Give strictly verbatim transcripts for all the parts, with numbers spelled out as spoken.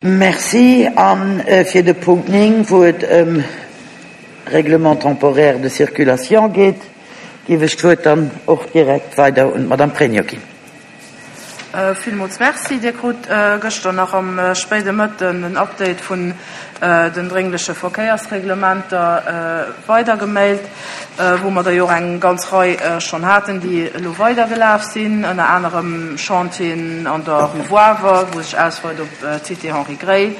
Merci. An fir de Punkt néng, wou et ëm Règlement temporaire de circulation geet, géif ech d'Wuert dann och direkt weider un d'Madame Pregno ginn. Villmools Merci. Dir krut gëschter nach am spéide Mëtten en Update vun den dréngleche Verkéiersreglementer weidergemailt, wou mer der jo och eng ganz Rei schonn haten, déi elo weidergelaf sinn, ënner anerem Chantieren an der Rue Woawer, wou sech ausweit op d'Cité Henri Gray,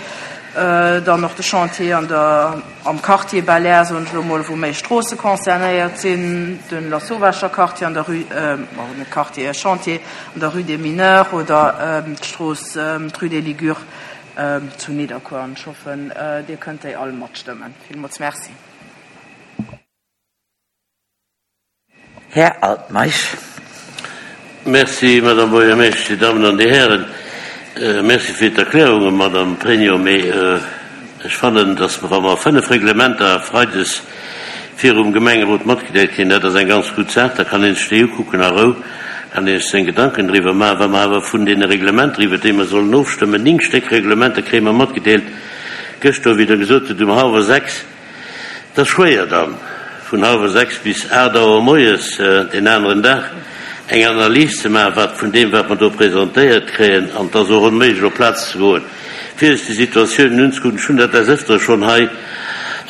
dann och de Chantier an der, am Quartier Bel-Air, soen ech elo mol, wou méi Stroosse concernéiert sinn, de Lasauvescher Quartier an der Rue, bon, net Quartier, Chantier an der Rue des Mineurs oder d'Strooss, d'Rue des Ligures zu Nidderkuer. An ech hoffen, Dir kënnt déi all matstëmmen. Villmools Merci. Här Altmeisch. Merci, Madame Buergermeeschtesch, Dir Dammen an Dir Hären. Merci fir d'Erklärungen, Madame Pregno. Mee ech fannen, dass mer, wa mer fënnef Reglementer freides virum Gemengerot matgedeelt kréien, dat ass eng ganz gutt Saach, da kann ee sech déi ukucken a Rou, kann ee sech seng Gedanken driwwer maachen. Wa mer awer vun deene Reglementer, iwwert déi mer sollen ofstëmmen, néng Stéck Reglementer kréie mer matgedeelt, gëschter, wéi Der gesot hutt, um hallwer sechs, Et ass schwéier dann, vun hallwer sechs bis aacht Auer moies deen aneren Dag eng Analys ze maachen, wat vun deem, wat mer do presentéiert kréien, an et ass och onméiglech, op d'Plaz ze goen, fir sech déi Situatiounen unzekucken. Ech hunn dat des Ëftere schonn hei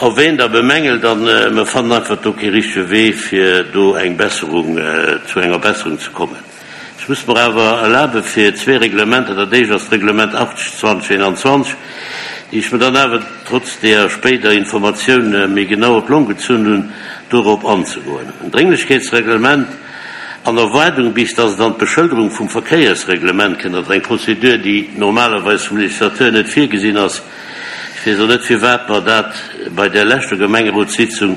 erwähnt a bemängelt, a mer fannen einfach do kee richtege Wee, fir do eng Besserung, zu enger Besserung ze kommen. Ech muss mer awer erlabe fir zwee Reglementer, dat éischt ass d'Reglement achtzeg zwanzeg eenanzwanzeg, déi ech mer dann awer trotz deeër spéider Informatioun méi genau op d'Long gezunn hunn, dorop anzegoen. En Drénglechkeetsreglement an Erwaardung, bis dass et an d'Beschëlderung vum Verkéiersreglement kënnt, also eng Prozedur, déi normalerweis vum Législateur net virgesinn ass. Ech weess och net, firwat mer dat bei där leschter Gemengerotssitzung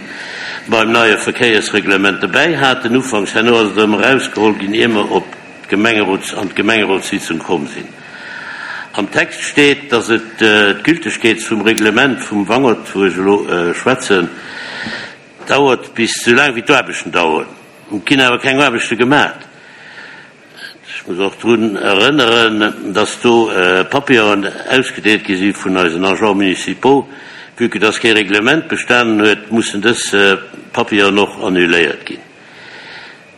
beim neie Verkéiersreglement dobäi haten ufanks. Herno ass et erëm erausgeholl ginn, ier mer op d'Gemengerots an d'Gemengerotssitzung komm sinn. Am Text steet, dass et d'Gültegkeet vum Reglement vum Wangert, wou ech elo schwätzen, dauert bis esou laang wéi d'Aarbechten daueren. Et ginn awer keng Aarbechte gemaach. Ech muss och drun erënneren, dass do Papieren ausgedeelt gi si vun eisen Agents municipaux. Vue que dass kee Reglement bestanen huet, mussen dës Papieren och annuléiert ginn.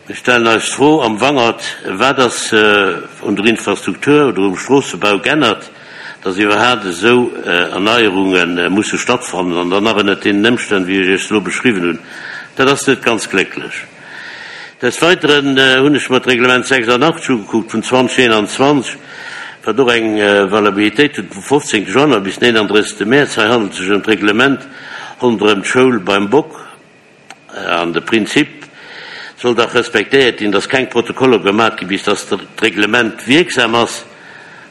Mir stellen eis d'Fro am Wangert, Wat ass un der Infrastruktur oder um Stroossebau g'ännert, dass iwwerhaapt esou Erneierunge musse stattfannen an dann nach ënnert deenen Ëmstänn, wéi ech Iech se elo beschriwwen hunn? Dat ass net ganz glécklech. Des Weiteren hunn ech mer d'Reglement sechsundachtzeg ugekuckt vun zweitausendeinundzwanzeg, wat och eng Valabilitéit huet vum fofzéngte Januar bis den eenanddrëssegste Mäerz. Hei handelt et sech ëm d'Reglement ronderëm d'Schoul beim Bock an de Prinzip soll dach respektéiert ginn, dass keng Protokoller gemat ginn, bis dass d'Reglement wierksam ass,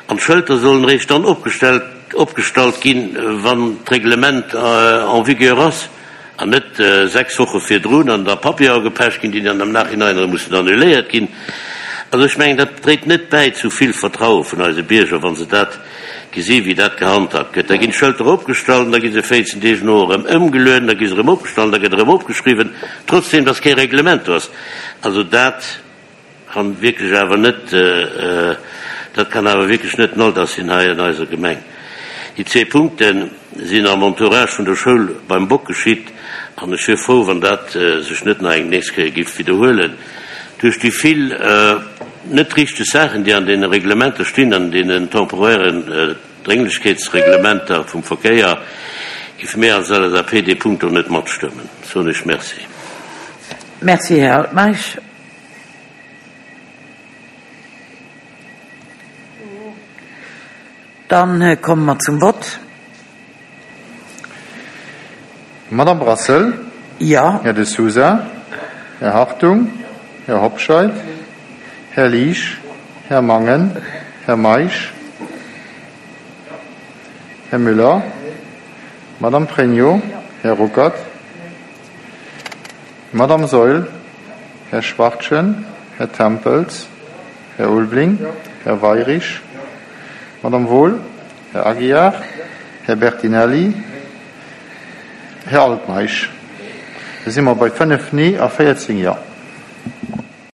an d'Schëlter sollen eréischt dann opgestellt opgestallt ginn, wann d'Reglement en vigueur ass, an net sechs Woche virdrun an da Papiere gepecht ginn, déi dann am Nachhinein erëm mussen annuléiert ginn. Also ech mengen, dat dréit net bäi zu vill Vertraue vun eise Bierger, wa se dat gesi wéi dat gehandhabt gëtt. Da ginn d'Schëlter opgestallt an da gi se véierzehn Deeg no erëm ëmgelueden, da gi se erëm opgestallt, da gëtt erëm opgeschriwwen, trotzdem dass kee Reglement do ass. Also dat kann wierklech awer net, dat kann awer wierklech net den Alldag sinn hei an eiser Gemeng. Déi zwee Punkte sinn am Entourage vun der Schoul beim Bock geschitt an ech wier frou, wann dat sech net nach eng nächst Kéier géif widderhuelen. Duerch déi vill net richteg Saachen, déi an deene Reglementer stinn, an deenen temporären Drénglechkeetsreglementer vum Verkéier, géife mir als L S A P dee Punkt och net matstëmmen. Soen ech Merci. Merci, Här Altmeisch. Dann komme mer zum Vott. Madame Brassel? Ja. Här De Sousa? Här Hartung? Här Hobscheit? Här Liesch? Här Mangen? Här Meisch? Här Müller? Madame Pregno? Här Ruckert? Madame Saeul? Här Schwachtgen? Här Tempels? Här Ulveling? Här Weirich? Madame Wohl? Här Aguiar? Här Bertinelli? Här Altmeisch? Da si mer bei fënnef Nee a véierzéng Ja.